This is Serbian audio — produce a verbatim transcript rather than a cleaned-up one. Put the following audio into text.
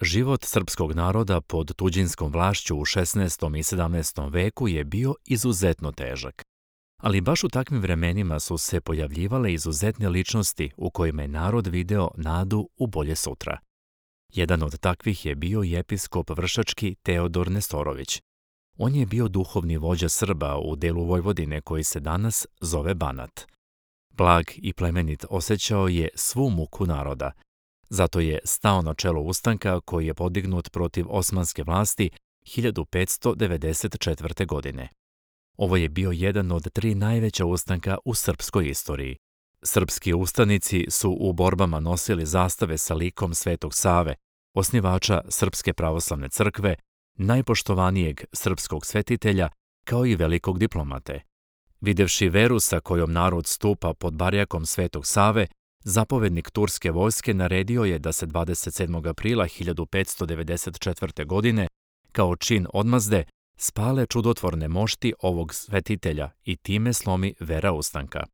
Život srpskog naroda pod tuđinskom vlašću u šesnaestom i sedamnaestom veku je bio izuzetno težak. Ali baš u takvim vremenima su se pojavljivale izuzetne ličnosti u kojima je narod video nadu u bolje sutra. Jedan od takvih je bio i episkop vršački Teodor Nestorović. On je bio duhovni vođa Srba u delu Vojvodine koji se danas zove Banat. Blag i plemenit osjećao je svu muku naroda. Zato je stao na čelo ustanka koji je podignut protiv osmanske vlasti hiljadu petsto devedeset četvrte. godine. Ovo je bio jedan od tri najveća ustanka u srpskoj istoriji. Srpski ustanici su u borbama nosili zastave sa likom Svetog Save, osnivača Srpske pravoslavne crkve, najpoštovanijeg srpskog svetitelja, kao i velikog diplomate. Videvši veru sa kojom narod stupa pod barjakom Svetog Save, zapovednik turske vojske naredio je da se dvadeset sedmog aprila hiljadu petsto devedeset četvrte. godine, kao čin odmazde, spale čudotvorne mošti ovog svetitelja i time slomi vera ustanka.